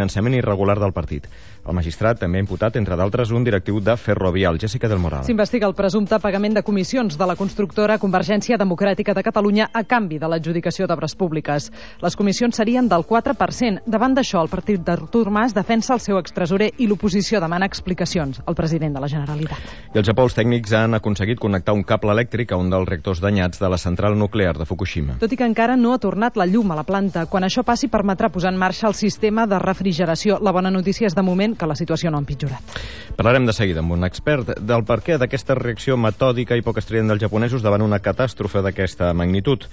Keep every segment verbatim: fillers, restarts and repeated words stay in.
finançament irregular del partit. El magistrat també ha imputat, entre d'altres, un directiu de Ferrovial, Jessica del Moral. S'investiga el presumpte pagament de comissions de la constructora Convergència Democràtica de Catalunya a canvi de l'adjudicació d'obres públiques. Les comissions serien del quatre per cent. Davant d'això, el partit d'Artur Mas defensa el seu extresorer i l'oposició demana explicacions al president de la Generalitat. I al Japó els tècnics han aconseguit connectar un cable elèctric a un dels reactors danyats de la central nuclear de Fukushima. Tot i que encara no ha tornat la llum a la planta. Quan això passi, permetrà posar en marxa el sistema de refrigeració. La bona notícia és, de moment, que la situació no ha empitjorat. Parlarem de seguida amb un expert del perquè d'aquesta reacció metòdica i poc estrident dels japonesos davant una catàstrofe d'aquesta magnitud.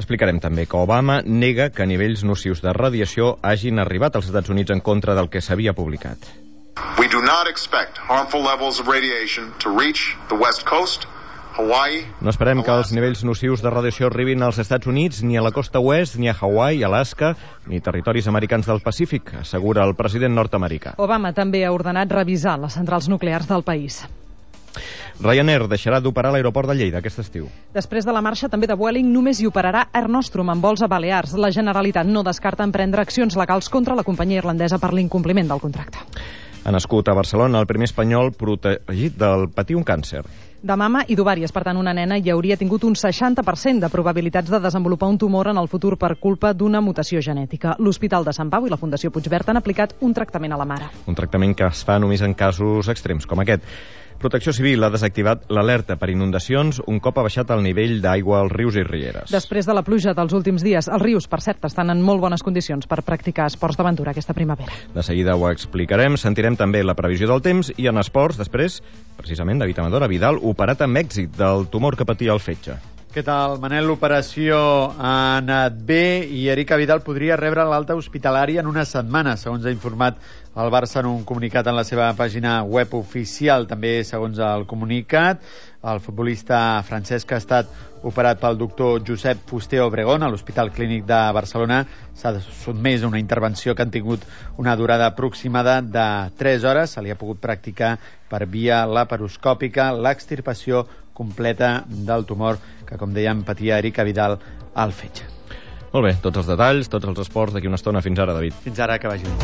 Explicarem també que Obama nega que nivells nocius de radiació hagin arribat als Estats Units en contra del que s'havia publicat. We do not expect harmful levels of radiation to reach the West Coast, Hawaii. No esperem que els nivells nocius de radiació arribin als Estats Units, ni a la costa oest, ni a Hawaii, Alaska, ni territoris americans del Pacífic, assegura el president nord-americà. Obama també ha ordenat revisar les centrals nuclears del país. Ryanair deixarà d'operar a l'aeroport de Lleida aquest estiu. Després de la marxa també de Vueling, només hi operarà Air Nostrum amb vols a Balears. La Generalitat no descarta emprendre accions legals contra la companyia irlandesa per l'incompliment del contracte. Ha nascut a Barcelona el primer espanyol protegit del patir un càncer. De mama i d'ovàries, per tant, una nena hi hauria tingut un seixanta per cent de probabilitats de desenvolupar un tumor en el futur per culpa d'una mutació genètica. L'Hospital de Sant Pau i la Fundació Puigverd han aplicat un tractament a la mare. Un tractament que es fa només en casos extrems, com aquest. Protecció Civil ha desactivat l'alerta per inundacions un cop ha baixat el nivell d'aigua als rius i rieres. Després de la pluja dels últims dies, els rius, per cert, estan en molt bones condicions per practicar esports d'aventura aquesta primavera. De seguida ho explicarem, sentirem també la previsió del temps i en esports, després, precisament, David Amador Vidal, operat amb èxit del tumor que patia el fetge. Què tal, Manel? L'operació ha anat bé i Eric Vidal podria rebre l'alta hospitalària en una setmana, segons ha informat el Barça en un comunicat en la seva pàgina web oficial. També, segons el comunicat, el futbolista Francesc ha estat operat pel doctor Josep Fuster Obregón a l'Hospital Clínic de Barcelona. S'ha sotmès a una intervenció que han tingut una durada aproximada de tres hores. Se li ha pogut practicar per via laparoscòpica l'extirpació completa del tumor que, com dèiem, patia Eric Vidal al fetge. Molt bé, tots els detalls, tots els esports d'aquí una estona. Fins ara, David. Fins ara, que vagi bé.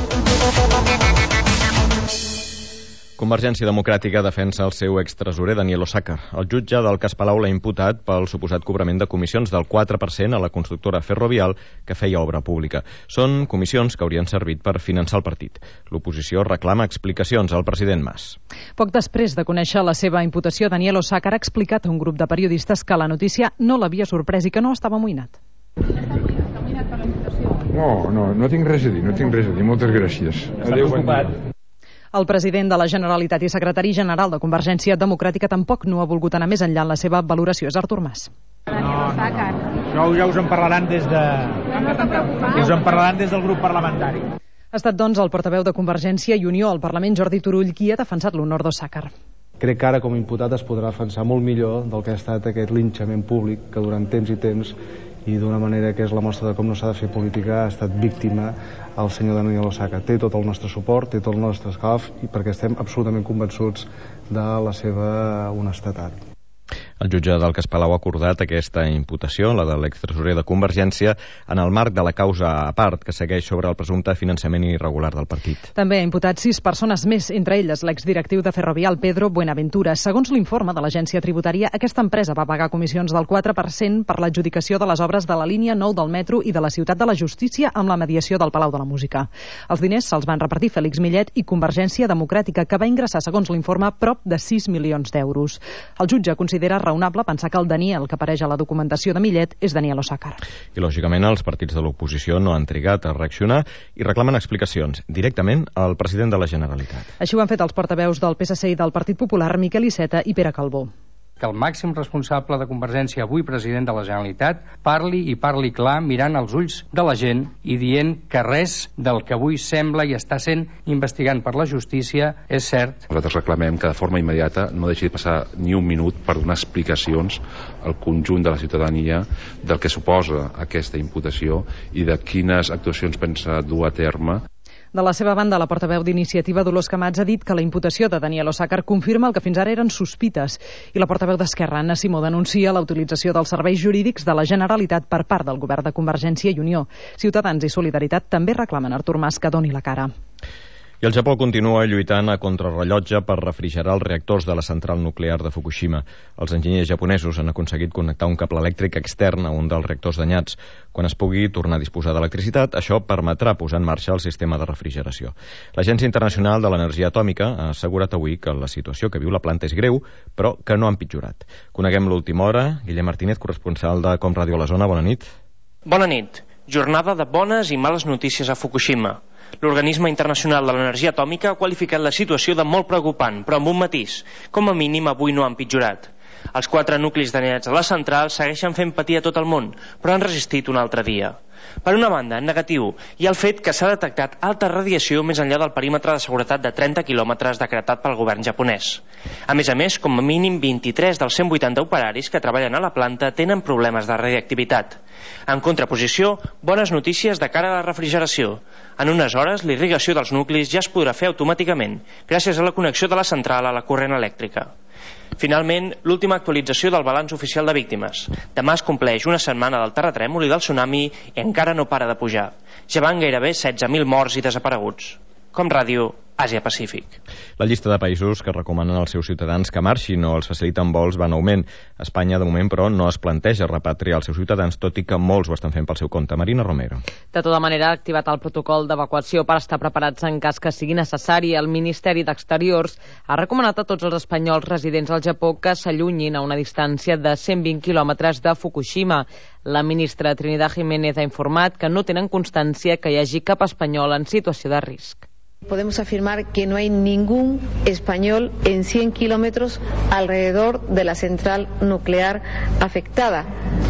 Convergència Democràtica defensa el seu extresorer Daniel Osàcar. El jutge del cas Palau l'ha imputat pel suposat cobrament de comissions del quatre per cent a la constructora Ferrovial que feia obra pública. Són comissions que haurien servit per finançar el partit. L'oposició reclama explicacions al president Mas. Poc després de conèixer la seva imputació, Daniel Osàcar ha explicat a un grup de periodistes que la notícia no l'havia sorprès i que no estava amoïnat. No, no, no tinc res a dir, no tinc res a dir. Moltes gràcies. Adéu, bon dia. El president de la Generalitat i secretari general de Convergència Democràtica tampoc no ha volgut anar més enllà en la seva valoració. És Artur Mas. No, no, això ja us en parlaran des de... us en parlaran des del grup parlamentari. Ha estat, doncs, el portaveu de Convergència i Unió al Parlament, Jordi Turull, qui ha defensat l'honor d'Osàcar. Crec que ara, com a imputat, es podrà defensar molt millor del que ha estat aquest linxament públic que durant temps i temps i d'una manera que és la mostra de com no s'ha de fer política ha estat víctima el senyor Daniel Osàcar. Té tot el nostre suport, té tot el nostre escalf i perquè estem absolutament convençuts de la seva honestedat. El jutge del cas Palau ha acordat aquesta imputació, la de l'extresorer de Convergència, en el marc de la causa a part que segueix sobre el presumpte finançament irregular del partit. També ha imputat sis persones més, entre elles l'exdirectiu de Ferrovial, Pedro Buenaventura. Segons l'informe de l'agència tributària, aquesta empresa va pagar comissions del quatre per cent per l'adjudicació de les obres de la línia nou del metro i de la Ciutat de la Justícia amb la mediació del Palau de la Música. Els diners se'ls van repartir Félix Millet i Convergència Democràtica, que va ingressar, segons l'informe, prop de sis milions d'euros. El jutge considera raonable pensar que el Daniel que apareix a la documentació de Millet és Daniel Osàcar. I, lògicament, els partits de l'oposició no han trigat a reaccionar i reclamen explicacions directament al president de la Generalitat. Així ho han fet els portaveus del P S C i del Partit Popular, Miquel Iceta i Pere Calbó. Que el màxim responsable de Convergència, avui president de la Generalitat, parli i parli clar mirant als ulls de la gent i dient que res del que avui sembla i està sent investigant per la justícia és cert. Nosaltres reclamem que de forma immediata no deixi de passar ni un minut per donar explicacions al conjunt de la ciutadania del que suposa aquesta imputació i de quines actuacions pensa dur a terme. De la seva banda, la portaveu d'Iniciativa, Dolors Camats, ha dit que la imputació de Daniel Osàcar confirma el que fins ara eren sospites i la portaveu d'Esquerra, Anna Simó, denuncia la utilització dels serveis jurídics de la Generalitat per part del govern de Convergència i Unió. Ciutadans i Solidaritat també reclamen a Artur Mas que doni la cara. I el Japó continua lluitant a contrarrellotge per refrigerar els reactors de la central nuclear de Fukushima. Els enginyers japonesos han aconseguit connectar un cable elèctric extern a un dels reactors danyats. Quan es pugui tornar a disposar d'electricitat, això permetrà posar en marxa el sistema de refrigeració. L'Agència Internacional de l'Energia Atòmica ha assegurat avui que la situació que viu la planta és greu, però que no ha empitjorat. Coneguem l'última hora. Guillem Martínez, corresponsal de Com Ràdio a la zona. Bona nit. Bona nit. Jornada de bones i males notícies a Fukushima. L'Organisme Internacional de l'Energia Atòmica ha qualificat la situació de molt preocupant, però amb un matís. Com a mínim, avui no ha empitjorat. Els quatre nuclis danyats de la central segueixen fent patir a tot el món, però han resistit un altre dia. Per una banda, en negatiu, hi ha el fet que s'ha detectat alta radiació més enllà del perímetre de seguretat de trenta quilòmetres decretat pel govern japonès. A més a més, com a mínim vint-i-tres dels cent vuitanta operaris que treballen a la planta tenen problemes de radioactivitat. En contraposició, bones notícies de cara a la refrigeració. En unes hores, l'irrigació dels nuclis ja es podrà fer automàticament, gràcies a la connexió de la central a la corrent elèctrica. Finalment, l'última actualització del balanç oficial de víctimes. Demà es compleix una setmana del terratrèmol i del tsunami i encara no para de pujar. Ja van gairebé setze mil morts i desapareguts. Com Ràdio, Àsia-Pacífic. La llista de països que recomanen als seus ciutadans que marxin o els faciliten vols va en augment. Espanya, de moment, però, no es planteja repatriar els seus ciutadans, tot i que molts ho estan fent pel seu compte. Marina Romero. De tota manera, ha activat el protocol d'evacuació per estar preparats en cas que sigui necessari. El Ministeri d'Exteriors ha recomanat a tots els espanyols residents al Japó que s'allunyin a una distància de cent vint quilòmetres de Fukushima. La ministra Trinidad Jiménez ha informat que no tenen constància que hi hagi cap espanyol en situació de risc. Podemos afirmar que no hay ningún español en cien kilómetros alrededor de la central nuclear afectada.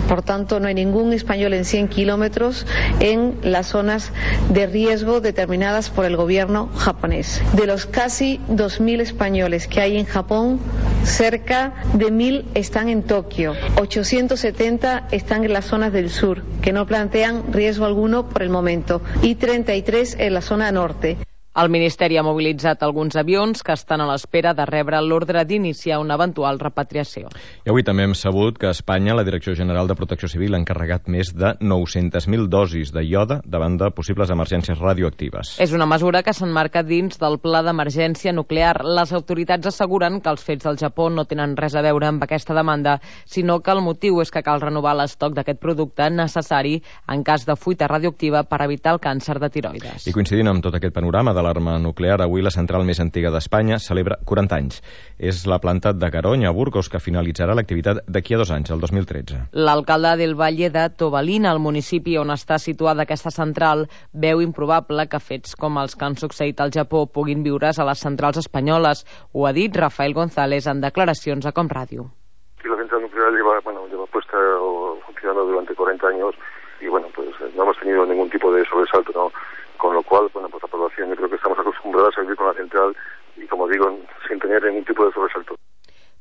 Por tanto, no hay ningún español en cien kilómetros en las zonas de riesgo determinadas por el gobierno japonés. De los casi dos mil españoles que hay en Japón, cerca de mil están en Tokio. ochocientos setenta están en las zonas del sur, que no plantean riesgo alguno por el momento, y treinta y tres en la zona norte. El Ministeri ha mobilitzat alguns avions que estan a l'espera de rebre l'ordre d'iniciar una eventual repatriació. I avui també hem sabut que a Espanya la Direcció General de Protecció Civil ha encarregat més de nou-centes mil dosis de iode davant de possibles emergències radioactives. És una mesura que s'emmarca dins del Pla d'Emergència Nuclear. Les autoritats asseguren que els fets del Japó no tenen res a veure amb aquesta demanda, sinó que el motiu és que cal renovar l'estoc d'aquest producte necessari en cas de fuita radioactiva per evitar el càncer de tiroides. I coincidint amb tot aquest panorama de l'arma nuclear, avui la central més antiga d'Espanya celebra quaranta anys. És la planta de Garoña, a Burgos, que finalitzarà l'activitat d'aquí a dos anys, el dos mil tretze. L'alcalde del Valle de Tobalina, el municipi on està situada aquesta central, veu improbable que fets com els que han succeït al Japó puguin viure's a les centrals espanyoles. Ho ha dit Rafael González en declaracions a Com Ràdio. La central nuclear lleva, bueno, lleva puesta o funcionando durante cuarenta años y bueno, pues no hemos tenido ningún tipo de sobresalto, ¿no? Con lo cual, bueno, pues la población yo creo que estamos acostumbrados a vivir con la central y, como digo, sin tener ningún tipo de sobresalto.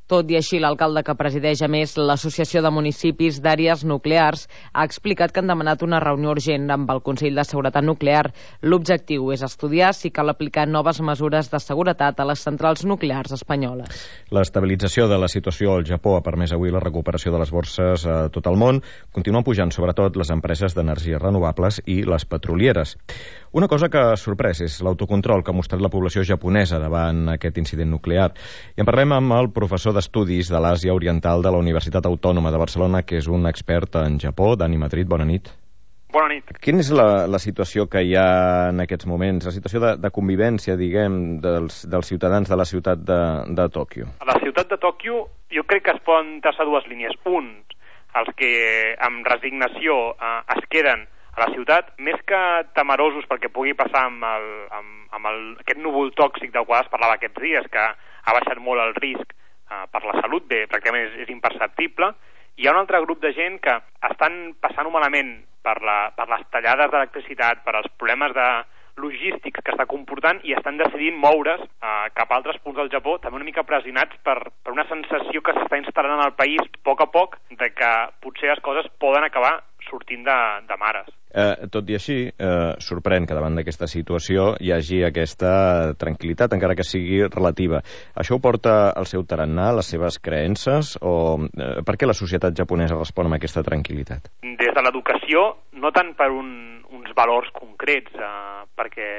Tot i així, l'alcalde que presideix a més l'Associació de Municipis d'Àrees Nuclears ha explicat que han demanat una reunió urgent amb el Consell de Seguretat Nuclear. L'objectiu és estudiar si cal aplicar noves mesures de seguretat a les centrals nuclears espanyoles. L'estabilització de la situació al Japó ha permès avui la recuperació de les borses a tot el món. Continuen pujant sobretot les empreses d'energies renovables i les petrolieres. Una cosa que ha sorprès és l'autocontrol que ha mostrat la població japonesa davant aquest incident nuclear. I en parlem amb el professor d'Estudis de l'Àsia Oriental de la Universitat Autònoma de Barcelona, que és un expert en Japó. Dani Madrid, bona nit. Bona nit. Quina és la, la situació que hi ha en aquests moments, la situació de, de convivència, diguem, dels, dels ciutadans de la ciutat de, de Tòquio? A la ciutat de Tòquio jo crec que es poden traçar dues línies. Un, els que amb resignació eh, es queden a la ciutat, més que temerosos perquè pugui passar amb, el, amb, amb el, aquest núvol tòxic del qual es parlava aquests dies, que ha baixat molt el risc eh, per la salut, bé, pràcticament és, és imperceptible. Hi ha un altre grup de gent que estan passant-ho malament per, la, per les tallades d'electricitat, per els problemes de logístics que està comportant i estan decidint moure's eh, cap a altres punts del Japó, també una mica pressionats per, per una sensació que s'està instal·lant en el país a poc a poc de que potser les coses poden acabar sortint de, de mares. Eh, tot i així, eh, sorprèn que davant d'aquesta situació hi hagi aquesta tranquil·litat, encara que sigui relativa. Això ho porta al seu tarannà, les seves creences, o eh, per què la societat japonesa respon amb aquesta tranquil·litat? Des de l'educació, no tant per un, uns valors concrets, eh, perquè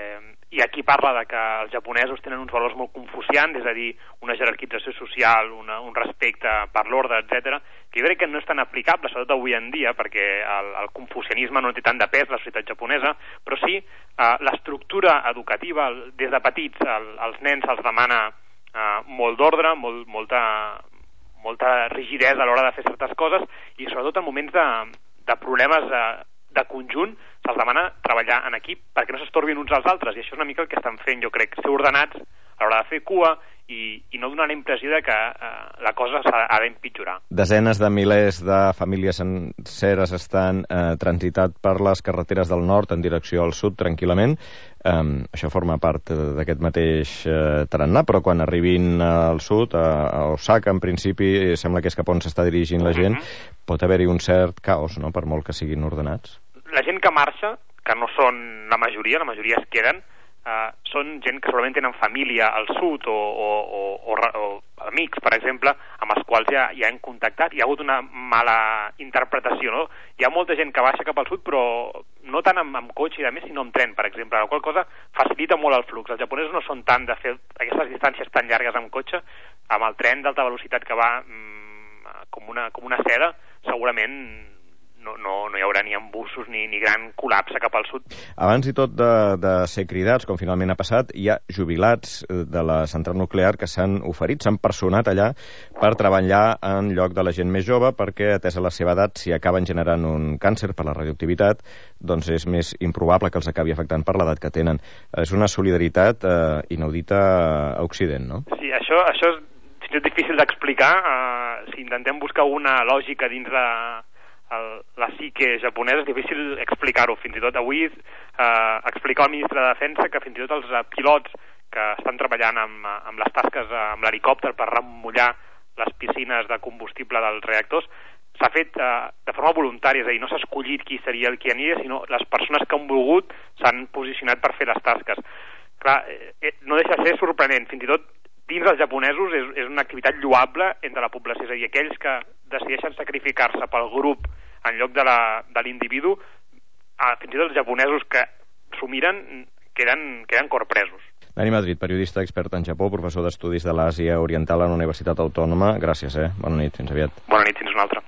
hi ha qui parla de que els japonesos tenen uns valors molt confucians, és a dir, una jerarquització social, una, un respecte per l'ordre, etcètera, que jo crec que no és tan aplicable, sobretot avui en dia, perquè el, el confucianisme no té tant de pes a la societat japonesa, però sí eh, l'estructura educativa, des de petits, el, els nens els demana eh, molt d'ordre, molt, molta, molta rigidesa a l'hora de fer certes coses, i sobretot en moments de, de problemes de, de conjunt se'ls demana treballar en equip perquè no s'estorbin uns als altres, i això és una mica el que estan fent, jo crec, ser ordenats a l'hora de fer cua i, i no donar la impressió de que eh, la cosa s'ha ha d'empitjorar. Desenes de milers de famílies senceres estan eh, transitat per les carreteres del nord en direcció al sud tranquil·lament. Eh, això forma part d'aquest mateix eh, tarannà, però quan arribin al sud, a, a Osaka, en principi, sembla que és cap on s'està dirigint la gent, mm-hmm. pot haver-hi un cert caos, no?, per molt que siguin ordenats. La gent que marxa, que no són la majoria, la majoria es queden, Uh, són gent que segurament tenen família al sud o, o, o, o, o amics, per exemple, amb els quals ja, ja hem contactat. Hi ha hagut una mala interpretació, no? Hi ha molta gent que baixa cap al sud, però no tant amb, amb cotxe i de més, sinó amb tren, per exemple, la qual cosa facilita molt el flux. Els japonesos no són tant de fer aquestes distàncies tan llargues amb cotxe, amb el tren d'alta velocitat que va mm, com, una, com una seda, segurament No, no, no hi haurà ni embussos ni, ni gran col·lapse cap al sud. Abans i tot de, de ser cridats, com finalment ha passat, hi ha jubilats de la central nuclear que s'han oferit, s'han personat allà per treballar en lloc de la gent més jove, perquè, atesa la seva edat, si acaben generant un càncer per la radioactivitat, doncs és més improbable que els acabi afectant per l'edat que tenen. És una solidaritat eh, inaudita a Occident, no? Sí, això, això és fins i tot difícil d'explicar. Uh, si intentem buscar una lògica dins de El, la psique japonesa, és difícil explicar-ho. Fins i tot avui eh, explicar al ministre de Defensa que fins i tot els uh, pilots que estan treballant amb, amb les tasques uh, amb l'helicòpter per remullar les piscines de combustible dels reactors s'ha fet eh, de forma voluntària, és a dir, no s'ha escollit qui seria el qui aniria, sinó les persones que han volgut s'han posicionat per fer les tasques. Clar, eh, no deixa de ser sorprenent, fins i tot dins dels japonesos és, és una activitat lloable entre la població, és a dir, aquells que decideixen sacrificar-se pel grup en lloc de l'individu, fins i tot els japonesos que s'ho miren queden, queden corpresos. Dani Madrid, periodista expert en Japó, professor d'Estudis de l'Àsia Oriental a la Universitat Autònoma. Gràcies, eh? Bona nit, fins aviat. Bona nit, fins una altra.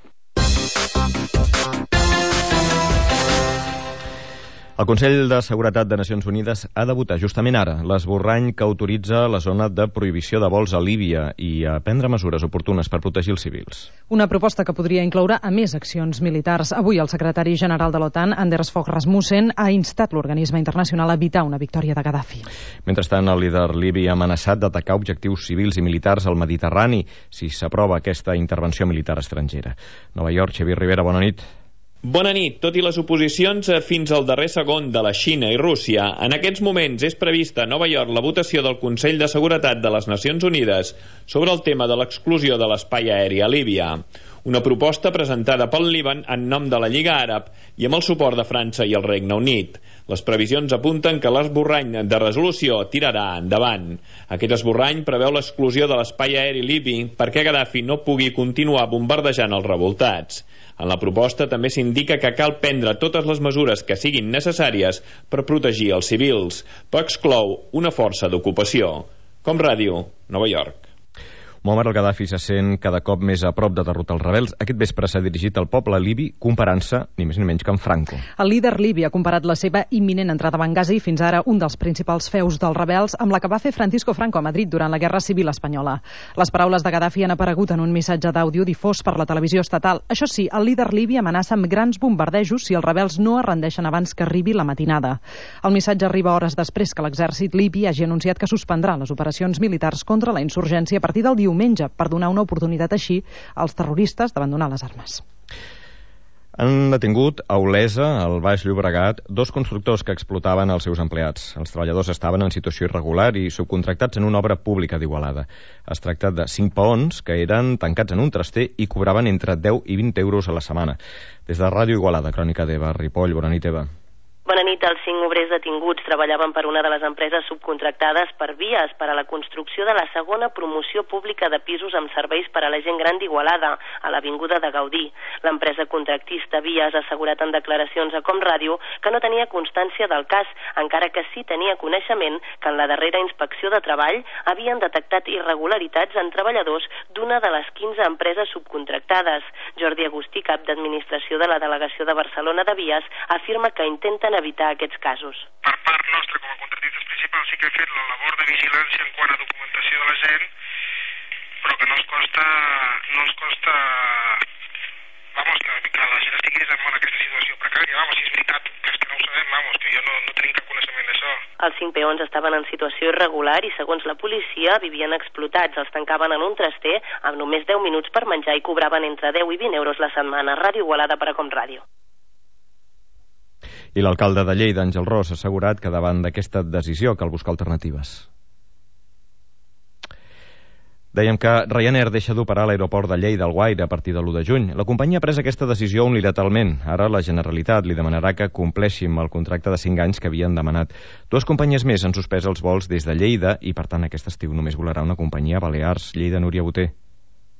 El Consell de Seguretat de Nacions Unides ha de votar justament ara l'esborrany que autoritza la zona de prohibició de vols a Líbia i a prendre mesures oportunes per protegir els civils. Una proposta que podria incloure a més accions militars. Avui el secretari general de l'OTAN, Anders Fogh Rasmussen, ha instat l'organisme internacional a evitar una victòria de Gaddafi. Mentrestant, el líder libi ha amenaçat d'atacar objectius civils i militars al Mediterrani si s'aprova aquesta intervenció militar estrangera. Nova York, Xavier Rivera, bona nit. Bona nit. Tot i les oposicions fins al darrer segon de la Xina i Rússia, en aquests moments és prevista a Nova York la votació del Consell de Seguretat de les Nacions Unides sobre el tema de l'exclusió de l'espai aeri a Líbia. Una proposta presentada pel Líban en nom de la Lliga Àrab i amb el suport de França i el Regne Unit. Les previsions apunten que l'esborrany de resolució tirarà endavant. Aquest esborrany preveu l'exclusió de l'espai aeri libi perquè Gaddafi no pugui continuar bombardejant els revoltats. En la proposta també s'indica que cal prendre totes les mesures que siguin necessàries per protegir els civils, però exclou una força d'ocupació. Com Ràdio, Nova York. Muammar al-Gaddafi se sent cada cop més a prop de derrotar els rebels. Aquest vespre s'ha dirigit al poble libi comparant-se ni més ni menys que amb Franco. El líder libi ha comparat la seva imminent entrada a Benghazi, fins ara un dels principals feus dels rebels, amb la que va fer Francisco Franco a Madrid durant la Guerra Civil Espanyola. Les paraules de Gaddafi han aparegut en un missatge d'àudio difós per la televisió estatal. Això sí, el líder libi amenaça amb grans bombardejos si els rebels no es rendeixen abans que arribi la matinada. El missatge arriba hores després que l'exèrcit libi hagi anunciat que suspendrà les operacions militars contra la insurgència a partir del diumenge per donar una oportunitat així als terroristes d'abandonar les armes. Han detingut a Olesa, al Baix Llobregat, dos constructors que explotaven els seus empleats. Els treballadors estaven en situació irregular i subcontractats en una obra pública d'Igualada. Es tracta de cinc peons que eren tancats en un traster i cobraven entre deu i vint euros a la setmana. Des de Ràdio Igualada, Crònica d'Eva, Ripoll, bona nit, Eva. Bona nit. Els cinc obrers detinguts treballaven per una de les empreses subcontractades per Vies per a la construcció de la segona promoció pública de pisos amb serveis per a la gent gran d'Igualada, a l'Avinguda de Gaudí. L'empresa contractista Vies ha assegurat en declaracions a Com Ràdio que no tenia constància del cas, encara que sí tenia coneixement que en la darrera inspecció de treball havien detectat irregularitats en treballadors d'una de les quinze empreses subcontractades. Jordi Agustí, cap d'administració de la delegació de Barcelona de Vies, afirma que intenten evitar aquests casos. Per part nostra, com a contractistes principals, sí que he fet la labor de vigilància en quant a documentació de la gent, però que no ens costa, no ens costa, vamos, que, que la gent estigui en aquesta situació precària. Vamos, si és veritat, que és que no ho sabem, vamos, que jo no, no tenim cap coneixement d'això. Els cinc peons estaven en situació irregular i, segons la policia, vivien explotats. Els tancaven en un traster amb només deu minuts per menjar i cobraven entre deu i vint euros la setmana. Ràdio Igualada per a Com Ràdio. I l'alcalde de Lleida, Àngel Ros, ha assegurat que davant d'aquesta decisió cal buscar alternatives. Dèiem que Ryanair deixa d'operar a l'aeroport de Lleida Alguaire a partir de l'u de juny. La companyia ha pres aquesta decisió unilateralment. Ara la Generalitat li demanarà que compleixi amb el contracte de cinc anys que havien demanat. Dues companyies més han suspès els vols des de Lleida i, per tant, aquest estiu només volarà una companyia a Balears. Lleida, Núria Boter.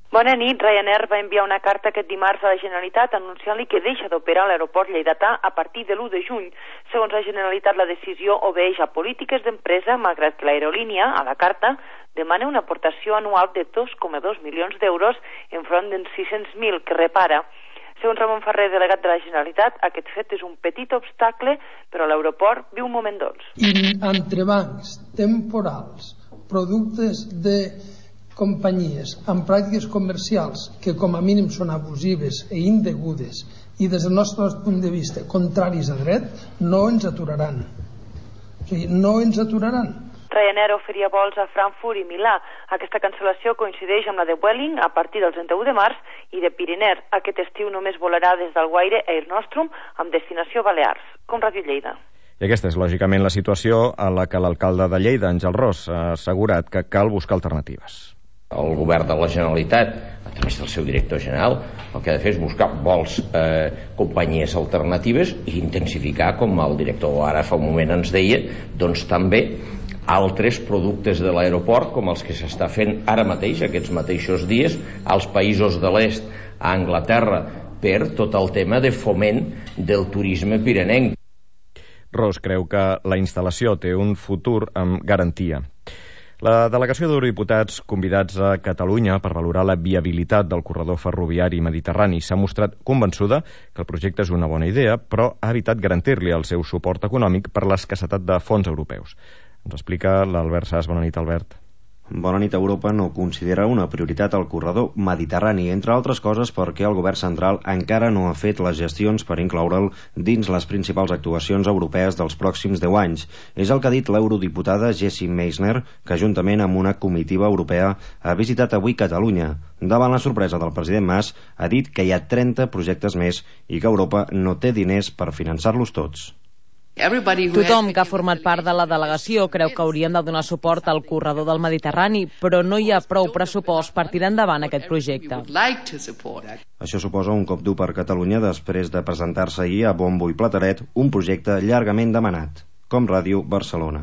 Bona nit. Ryanair va enviar una carta aquest dimarts a la Generalitat anunciant-li que deixa d'operar a l'aeroport lleidatà a partir de l'u de juny. Segons la Generalitat, la decisió obeeix a polítiques d'empresa, malgrat que l'aerolínia, a la carta, demana una aportació anual de dos coma dos milions d'euros enfront dels sis-cents mil que repara. Segons Ramon Ferrer, delegat de la Generalitat, aquest fet és un petit obstacle, però l'aeroport viu un moment dolç. I entrebancs temporals, productes de companyies amb pràctiques comercials que com a mínim són abusives i indegudes i des del nostre punt de vista contraris a dret, no ens aturaran. O sigui, no ens aturaran. Ryanair oferia vols a Frankfurt i Milà. Aquesta cancel·lació coincideix amb la de Vueling a partir del trenta-u de març i de Piriner. Aquest estiu només volarà des d'Alguaire Air Nostrum amb destinació Balears. Com Ràdio Lleida. I aquesta és, lògicament, la situació a la que l'alcalde de Lleida, Àngel Ros, ha assegurat que cal buscar alternatives. El govern de la Generalitat, a través del seu director general, el que ha de fer és buscar vols eh, companyies alternatives i intensificar, com el director ara fa un moment ens deia, doncs també altres productes de l'aeroport, com els que s'està fent ara mateix, aquests mateixos dies, als països de l'est, a Anglaterra, per tot el tema de foment del turisme pirenenc. Ros creu que la instal·lació té un futur amb garantia. La delegació d'eurodiputats convidats a Catalunya per valorar la viabilitat del corredor ferroviari mediterrani s'ha mostrat convençuda que el projecte és una bona idea, però ha evitat garantir-li el seu suport econòmic per l'escassetat de fons europeus. Ens explica l'Albert Sas. Bona nit, Albert. Bona nit. Europa no considera una prioritat el corredor mediterrani, entre altres coses perquè el govern central encara no ha fet les gestions per incloure'l dins les principals actuacions europees dels pròxims deu anys. És el que ha dit l'eurodiputada Jessie Meissner, que juntament amb una comitiva europea ha visitat avui Catalunya. Davant la sorpresa del president Mas, ha dit que hi ha trenta projectes més i que Europa no té diners per finançar-los tots. Tothom que ha format part de la delegació creu que haurien de donar suport al corredor del Mediterrani, però no hi ha prou pressupost per tirar endavant aquest projecte. Això suposa un cop dur per Catalunya després de presentar-se ahir a bombo i plateret un projecte llargament demanat. Com Ràdio, Barcelona.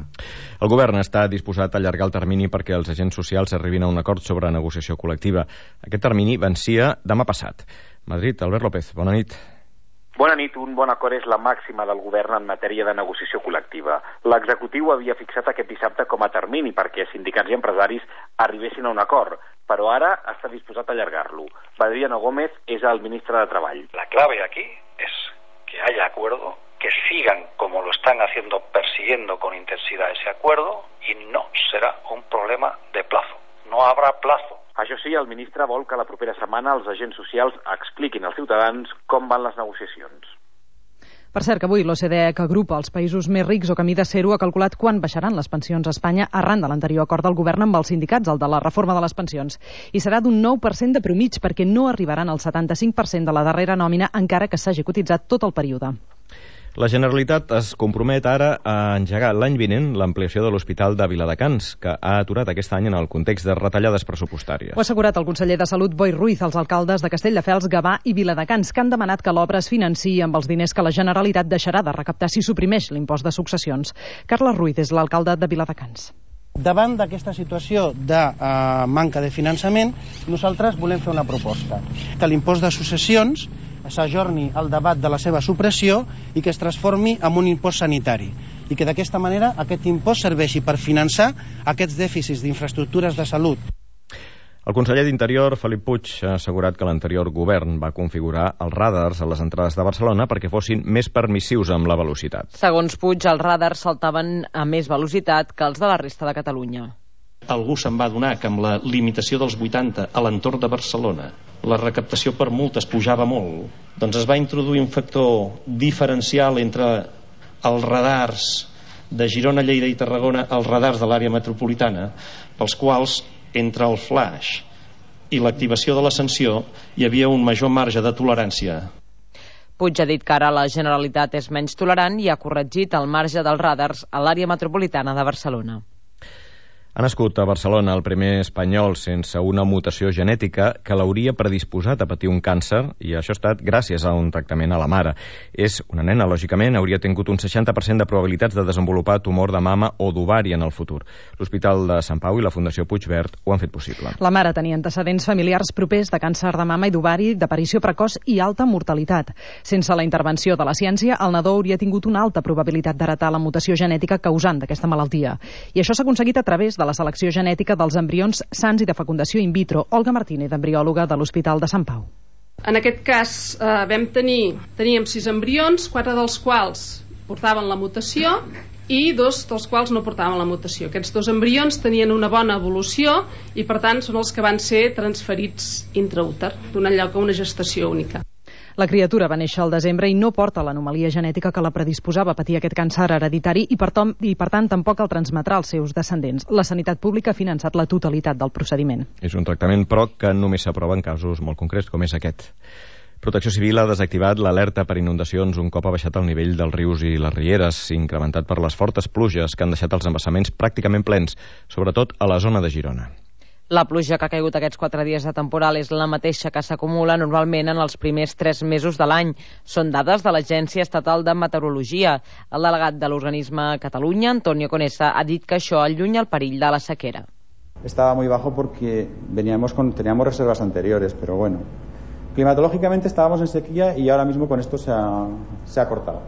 El govern està disposat a allargar el termini perquè els agents socials arribin a un acord sobre negociació col·lectiva. Aquest termini vencia demà passat. Madrid, Albert López, bona nit. Bona nit. Un bon acord és la màxima del govern en matèria de negociació col·lectiva. L'executiu havia fixat aquest dissabte com a termini perquè sindicats i empresaris arribessin a un acord, però ara està disposat a allargar-lo. Badriano Gómez és el ministre de Treball. La clave aquí es que haya acuerdo, que sigan como lo están haciendo, persiguiendo con intensidad ese acuerdo y no será un problema de plazo. No habrá plazo. Això sí, el ministre vol que la propera setmana els agents socials expliquin als ciutadans com van les negociacions. Per cert, que avui l'O C D E, que agrupa els països més rics o camí de ser-ho, ha calculat quan baixaran les pensions a Espanya arran de l'anterior acord del govern amb els sindicats, el de la reforma de les pensions. I serà d'un nou per cent de promig, perquè no arribaran al setanta-cinc per cent de la darrera nòmina encara que s'hagi cotitzat tot el període. La Generalitat es compromet ara a engegar l'any vinent l'ampliació de l'Hospital de Viladecans, que ha aturat aquest any en el context de retallades pressupostàries. Ho ha assegurat el conseller de Salut, Boi Ruiz, als alcaldes de Castelldefels, Gavà i Viladecans, que han demanat que l'obra es financiï amb els diners que la Generalitat deixarà de recaptar si suprimeix l'impost de successions. Carles Ruiz és l'alcalde de Viladecans. Davant d'aquesta situació de uh, manca de finançament, nosaltres volem fer una proposta. Que l'impost de successions s'ajorni el debat de la seva supressió i que es transformi en un impost sanitari. I que d'aquesta manera aquest impost serveixi per finançar aquests dèficits d'infraestructures de salut. El conseller d'Interior, Felip Puig, ha assegurat que l'anterior govern va configurar els radars a les entrades de Barcelona perquè fossin més permissius amb la velocitat. Segons Puig, els radars saltaven a més velocitat que els de la resta de Catalunya. Algú se'n va adonar que amb la limitació dels vuitanta a l'entorn de Barcelona la recaptació per multes pujava molt, doncs es va introduir un factor diferencial entre els radars de Girona, Lleida i Tarragona, els radars de l'àrea metropolitana, pels quals entre el flash i l'activació de la sanció hi havia un major marge de tolerància. Puig ha dit que ara la Generalitat és menys tolerant i ha corregit el marge dels radars a l'àrea metropolitana de Barcelona. Ha nascut a Barcelona el primer espanyol sense una mutació genètica que l'hauria predisposat a patir un càncer, i això ha estat gràcies a un tractament a la mare. És una nena, lògicament, hauria tingut un seixanta per cent de probabilitats de desenvolupar tumor de mama o d'ovari en el futur. L'Hospital de Sant Pau i la Fundació Puigverd ho han fet possible. La mare tenia antecedents familiars propers de càncer de mama i d'ovari, d'aparició precoç i alta mortalitat. Sense la intervenció de la ciència, el nadó hauria tingut una alta probabilitat d'heretar la mutació genètica causant d'aquesta malaltia. I això s'ha aconseguit a través de la selecció genètica dels embrions sans i de fecundació in vitro. Olga Martínez, embriòloga de l'Hospital de Sant Pau. En aquest cas eh, vam tenir, teníem sis embrions, quatre dels quals portaven la mutació i dos dels quals no portaven la mutació. Aquests dos embrions tenien una bona evolució i per tant són els que van ser transferits intraúter, donant lloc a una gestació única. La criatura va néixer al desembre i no porta l'anomalia genètica que la predisposava a patir aquest càncer hereditari i per, tom, i per tant tampoc el transmetrà als seus descendents. La sanitat pública ha finançat la totalitat del procediment. És un tractament, però, que només s'aprova en casos molt concrets, com és aquest. Protecció Civil ha desactivat l'alerta per inundacions un cop ha baixat el nivell dels rius i les rieres, incrementat per les fortes pluges que han deixat els embassaments pràcticament plens, sobretot a la zona de Girona. La pluja que ha caigut aquests quatre dies de temporal és la mateixa que s'acumula normalment en els primers tres mesos de l'any. Són dades de l'Agència Estatal de Meteorologia. El delegat de l'organisme a Catalunya, Antonio Conesa, ha dit que això allunya el perill de la sequera. Estaba muy bajo porque veníamos con, teníamos reservas anteriores, pero bueno, climatológicamente estábamos en sequía y ahora mismo con esto se ha, se ha cortado.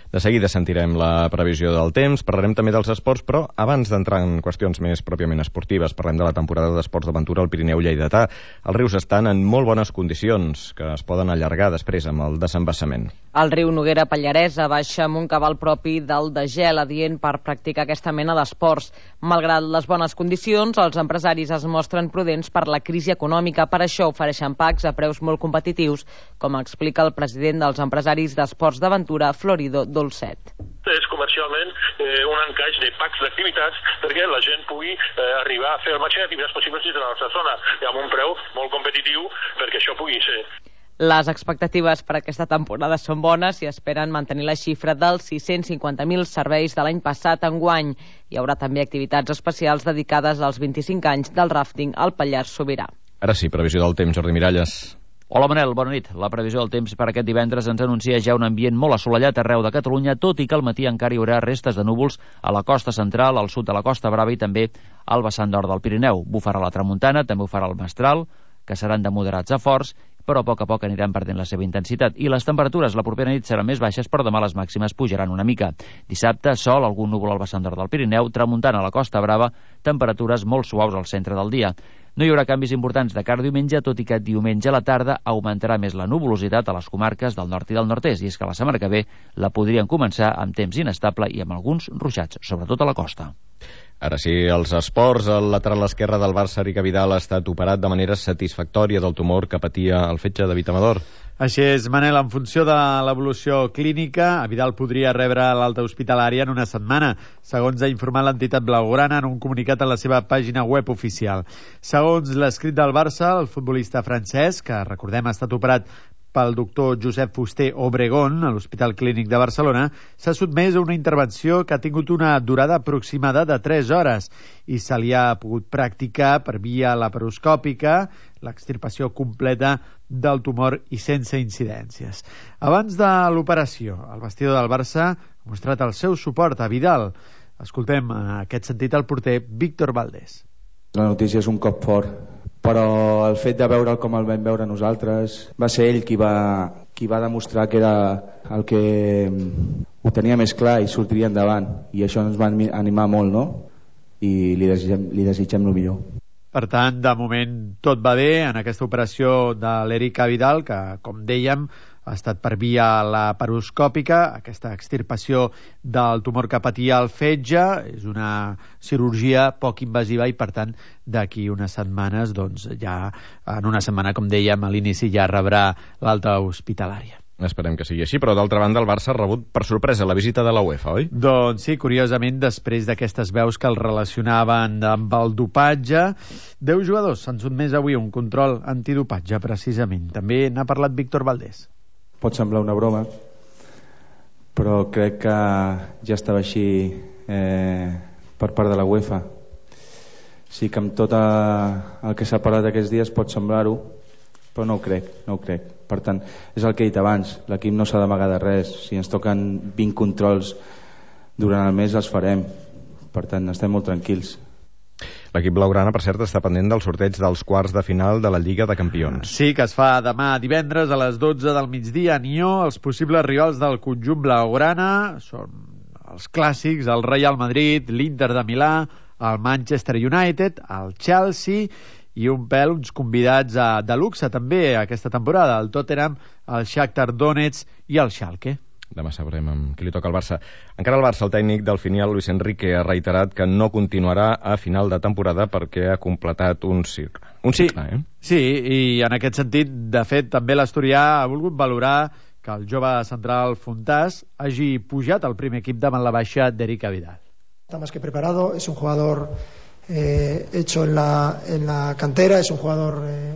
De seguida sentirem la previsió del temps, parlarem també dels esports, però abans d'entrar en qüestions més pròpiament esportives, parlem de la temporada d'esports d'aventura al Pirineu lleidatà. Els rius estan en molt bones condicions, que es poden allargar després amb el desembassament. El riu Noguera Pallaresa baixa amb un cabal propi del de gel adient per practicar aquesta mena d'esports. Malgrat les bones condicions, els empresaris es mostren prudents per la crisi econòmica. Per això ofereixen packs a preus molt competitius, com explica el president dels empresaris d'esports d'aventura, Florido Dolcet. És comercialment eh, un encaix de packs d'activitats perquè la gent pugui eh, arribar a fer el màxim d'activitats possibles dins de la nostra zona i amb un preu molt competitiu perquè això pugui ser. Les expectatives per aquesta temporada són bones i esperen mantenir la xifra dels sis-cents cinquanta mil serveis de l'any passat enguany. Hi haurà també activitats especials dedicades als vint-i-cinc anys del ràfting al Pallars Sobirà. Ara sí, previsió del temps, Jordi Miralles. Hola Manel, bona nit. La previsió del temps per aquest divendres ens anuncia ja un ambient molt assolellat arreu de Catalunya, tot i que al matí encara hi haurà restes de núvols a la costa central, al sud de la Costa Brava i també al vessant nord del Pirineu. Bufarà la tramuntana, també ho farà el mestral, que seran de moderats a forts, però a poc a poc aniran perdent la seva intensitat. I les temperatures la propera nit seran més baixes, però demà les màximes pujaran una mica. Dissabte, sol, algun núvol al vessant nord del Pirineu, tramuntana a la Costa Brava, temperatures molt suaus al centre del dia. No hi haurà canvis importants de cara a diumenge, tot i que diumenge a la tarda augmentarà més la nuvolositat a les comarques del nord i del nord-est, i és que la setmana que ve la podrien començar amb temps inestable i amb alguns ruixats, sobretot a la costa. Ara sí, els esports. El lateral esquerre del Barça, Rica Vidal, ha estat operat de manera satisfactòria del tumor que patia el fetge de David Amador. Així és, Manel, en funció de l'evolució clínica, Vidal podria rebre l'alta hospitalària en una setmana, segons ha informat l'entitat blaugrana en un comunicat a la seva pàgina web oficial. Segons l'escrit del Barça, el futbolista francès, que recordem ha estat operat pel doctor Josep Fuster Obregón, a l'Hospital Clínic de Barcelona, s'ha sotmès a una intervenció que ha tingut una durada aproximada de tres hores i se li ha pogut practicar per via laparoscòpica l'extirpació completa del tumor i sense incidències. Abans de l'operació, el vestidor del Barça ha mostrat el seu suport a Vidal. Escoltem en aquest sentit el porter Víctor Valdés. La notícia és un cop fort, però el fet de veure'l com el vam veure nosaltres va ser ell qui va, qui va demostrar que era el que ho tenia més clar i sortiria endavant, i això ens va animar molt, no? I li desitgem, li desitgem el millor. Per tant, de moment tot va bé en aquesta operació de l'Eric Vidal, que, com dèiem, ha estat per via laparoscòpica. Aquesta extirpació del tumor que patia al fetge és una cirurgia poc invasiva i, per tant, d'aquí unes setmanes, doncs ja en una setmana, com dèiem, a l'inici ja rebrà l'alta hospitalària. Esperem que sigui així, però d'altra banda el Barça ha rebut per sorpresa la visita de la UEFA, oi? Doncs sí, curiosament, després d'aquestes veus que el relacionaven amb el dopatge, deu jugadors s'han sotmès avui a un control antidopatge, precisament. També n'ha parlat Víctor Valdés. Pot semblar una broma, però crec que ja estava així eh, per part de la UEFA. Sí que amb tot el que s'ha parlat aquests dies pot semblar-ho, però no ho crec, no ho crec. Per tant, és el que he dit abans, l'equip no s'ha d'amagar de res. Si ens toquen vint controls durant el mes, els farem. Per tant, estem molt tranquils. L'equip blaugrana, per cert, està pendent del sorteig dels quarts de final de la Lliga de Campions. Sí, que es fa demà divendres a les dotze del migdia a Nió. Els possibles rivals del conjunt blaugrana són els clàssics, el Real Madrid, l'Inter de Milà, el Manchester United, el Chelsea i un pèl, uns convidats a, de luxe també aquesta temporada, el Tottenham, el Shakhtar Donetsk i el Schalke. Demà sabrem amb qui li toca al Barça. Encara el Barça, el tècnic del filial Luis Enrique ha reiterat que no continuarà a final de temporada perquè ha completat un cicle. Un cicle, sí, eh? Sí, i en aquest sentit, de fet, també l'Asturià ha volgut valorar que el jove central Fontàs hagi pujat al primer equip davant la baixa d'Eric Vidal. Está más que preparado, es un jugador eh, hecho en la, en la cantera, es un jugador eh,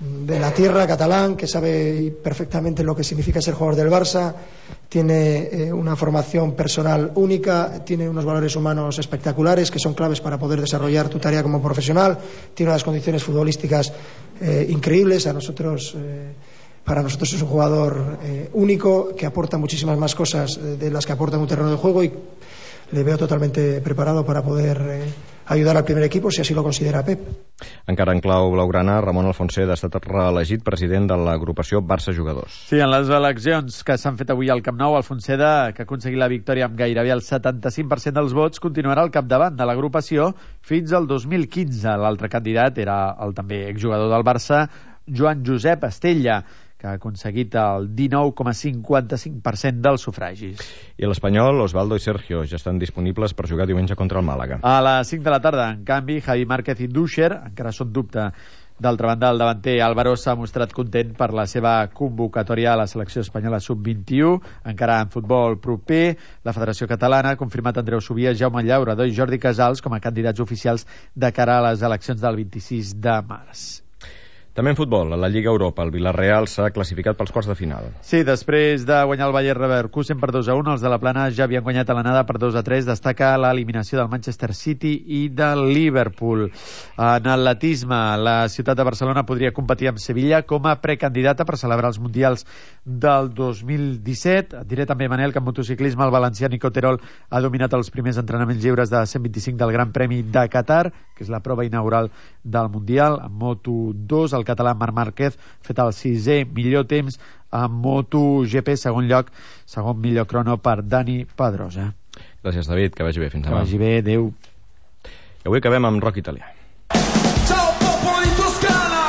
de la tierra, catalán, que sabe perfectamente lo que significa ser jugador del Barça, tiene eh, una formación personal única, tiene unos valores humanos espectaculares que son claves para poder desarrollar tu tarea como profesional, tiene unas condiciones futbolísticas eh, increíbles. A nosotros, eh, para nosotros es un jugador eh, único, que aporta muchísimas más cosas eh, de las que aporta en un terreno de juego, y le veo totalmente preparado para poder eh, ayudar al primer equipo, si así lo considera Pep. Encara en clau blaugrana, Ramon Alfonset ha estat reelegit president de l'agrupació Barça Jugadors. Sí, en les eleccions que s'han fet avui al Camp Nou, Alfonseda, que ha aconseguit la victòria amb gairebé el setanta-cinc per cent dels vots, continuarà al capdavant de l'agrupació fins al dos mil quinze. L'altre candidat era el també exjugador del Barça, Joan Josep Estella, que ha aconseguit el dinou coma cinquanta-cinc per cent dels sufragis. I l'Espanyol, Osvaldo i Sergio ja estan disponibles per jugar diumenge contra el Màlaga. A les cinc de la tarda, en canvi, Javi Márquez i Dúcher encara són dubte. D'altra banda, el davanter Álvaro s'ha mostrat content per la seva convocatòria a la selecció espanyola sub vint-i-u. Encara en futbol proper, la Federació Catalana ha confirmat Andreu Subia, Jaume Llaurador i Jordi Casals com a candidats oficials de cara a les eleccions del vint-i-sis de març. També en futbol, a la Lliga Europa, el Villarreal s'ha classificat pels quarts de final. Sí, després de guanyar el Bayer Leverkusen per dos a un, els de la Plana ja havien guanyat a l'anada per dos a tres. Destaca l'eliminació del Manchester City i del Liverpool. En atletisme, la ciutat de Barcelona podria competir amb Sevilla com a precandidata per celebrar els Mundials del dos mil disset. Et diré també, Manel, que en motociclisme el valencià Nico Terol ha dominat els primers entrenaments lliures de cent vint-i-cinc del Gran Premi de Qatar, que és la prova inaugural del Mundial. En Moto dos, el català Marc Márquez ha fet el sisè millor temps. En MotoGP, segon lloc, segon millor crono per Dani Pedrosa. Gràcies, David, que vagi bé. Fins demà. Que vagi bé, adeu. I avui acabem amb rock italià. Ciao popolo di Toscana!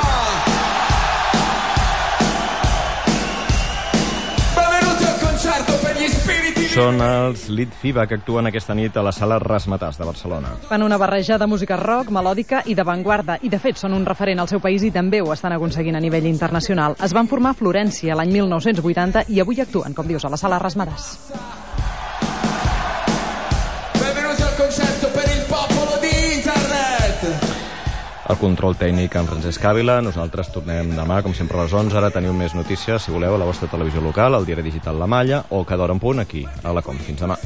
Benvenuti al concerto per gli spiriti. Són els Litfiba, que actuen aquesta nit a la sala Razzmatazz de Barcelona. Fan una barreja de música rock, melòdica i d'avantguarda, i de fet són un referent al seu país i també ho estan aconseguint a nivell internacional. Es van formar a Florència l'any mil nou-cents vuitanta i avui actuen, com dius, a la sala Razzmatazz. Benvenuti al concerto per il popolo di internet. el control tècnic en Francesc Ávila. Nosaltres tornem demà, com sempre, a les onze. Ara teniu més notícies, si voleu, a la vostra televisió local, al diari digital La Malla, o cada hora en punt aquí, a la Com. Fins demà.